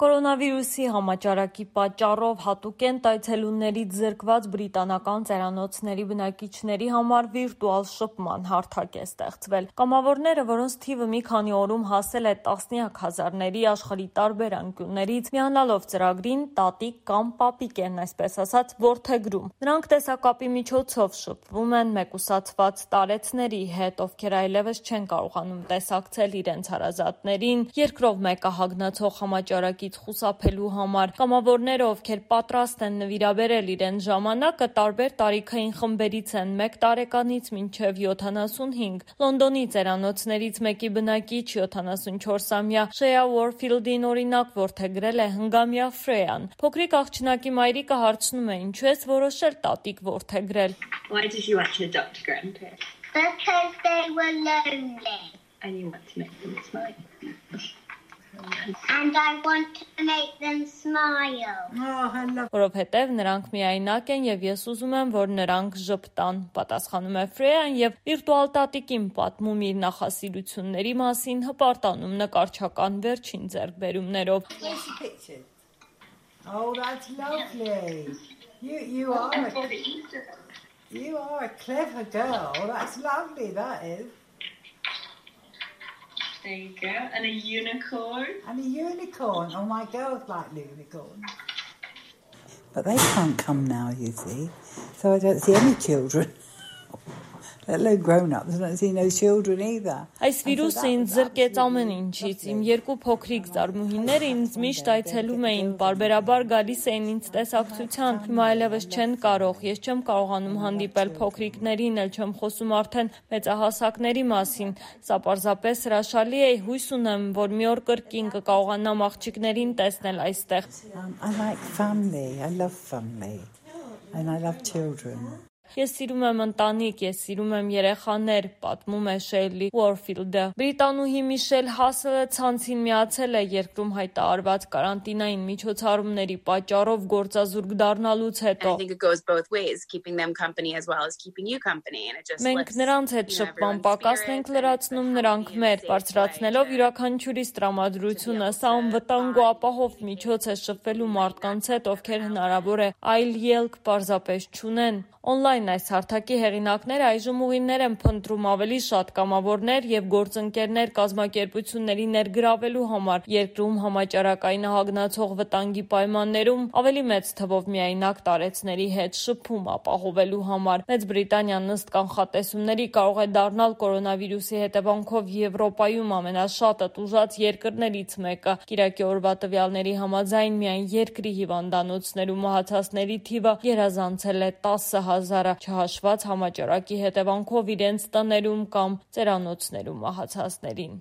Կորոնավիրուսի համաճարակի պատճառով հատուկենտ այցելուներից զրկված բրիտանական ծերանոցների բնակիչների համար վիրտուալ շփման հարթակ է ստեղծվել։ Կամավորները, որոնց թիվը մի քանի օրում հասել է տասնյակ հազարների, աշխարհի տարբեր անկյուններից, միանալով ծրագրին, տատիկ կամ պապիկ են, այսպես ասած, որդեգրում։ Նրանք տեսակապի միջոցով շփվում են մեկուսացված տարեցների հետ, ովքեր այլևս չեն կարողանում տեսակցել իրենց հարազատներին, երկրով մեկահագնացող համաճարակի խուսափելու համար։ Կամավորները, ովքեր պատրաստ են նվիրաբերել իրենց ժամանակը, տարբեր տարիքային խմբերից են 1 տարեկանից մինչև 75։ Լոնդոնի ծերանոցներից մեկի բնակիչ 74-ամյա Շեյա Ուորֆիլդին օրինակ որդեգրել է հնգամյա Ֆրեյան։ Փոքրիկ աղջնակի մայրիկը հարցնում է, ինչու ես որոշել տատիկ որդեգրել։ Why did you want to adopt grandparents? Because they were lonely. And you want to make them smile. And I want to make them smile. Որովհետև նրանք միայնակ են եւ ես ուզում եմ, որ նրանք ժպտան, պատասխանում է Ֆրեյան եւ վիրտուալ տատիկին պատմում իր նախասիրությունների մասին, հպարտանում նկարչական վերջին ձեռքբերումներով։ Oh, that's lovely. You are a clever girl. That's lovely, that is. There you go. And a unicorn. And a unicorn. Oh, my girls like unicorns. But they can't come now, you see. So I don't see any children. Let alone grown-ups. I don't see no children either. Այս վիրուսը ինձ զրկեց ամեն ինչից։ Իմ երկու փոքրիկ զարմուհիները ինձ միշտ այցելում էին, բարբերաբար գալիս էին ինձ տեսակցության։ Հիմա այլևս չեն կարող, ես չեմ կարողանում հանդիպել փոքրիկներին, էլ չեմ խոսում արդեն մեծահասակների մասին։ Սա պարզապես հրաշալի է, հույս ունեմ, որ մի օր կրկին կկարողանամ աղջիկներին տեսնել այստեղ։ I like family. I love family. And I love children. Ես սիրում եմ ընտանիք, ես սիրում եմ երեխաներ, պատմում է Շեյլի Ուորֆիլդը։ Բրիտանուհի Միշել Հասելը ցանցին միացել է երկրում հայտարարված կարանտինային միջոցառումների պատճառով գործազուրկ դառնալուց հետո։ Մենք նրանց հետ շփման պակասն ենք լրացնում, նրանք մեր, բարձրացնելով յուրաքանչյուրիս տրամադրությունը, սա անվտանգ ու ապահով միջոց է շփվելու մարդկանց հետ, ովքեր հնարավոր է այլ ելք պարզապես չունեն։ Օնլայն այս հարթակի հեղինակները այժմ ուղիներ են փնտրում ավելի շատ կամավորներ եւ գործընկերներ կազմակերպությունների ներգրավելու համար երկրում համաճարակային ահագնացող վտանգի պայմաններում ավելի մեծ թվով միայնակ տարեցների հետ շփում ապահովելու համար։ Մեծ Բրիտանիան ըստ կանխատեսումների կարող է դառնալ կորոնավիրուսի հետևանքով Եվրոպայում ամենաշատը տուժած երկրներից մեկը։ Կիրակի օրվա տվյալների համաձայն միայն երկրի հիվանդանոցներում մահացածների թիվը գերազանցել է 10,000-ը, չհաշված համաճարակի հետևանքով իրենց տներում կամ ծերանոցներում մահացածներին։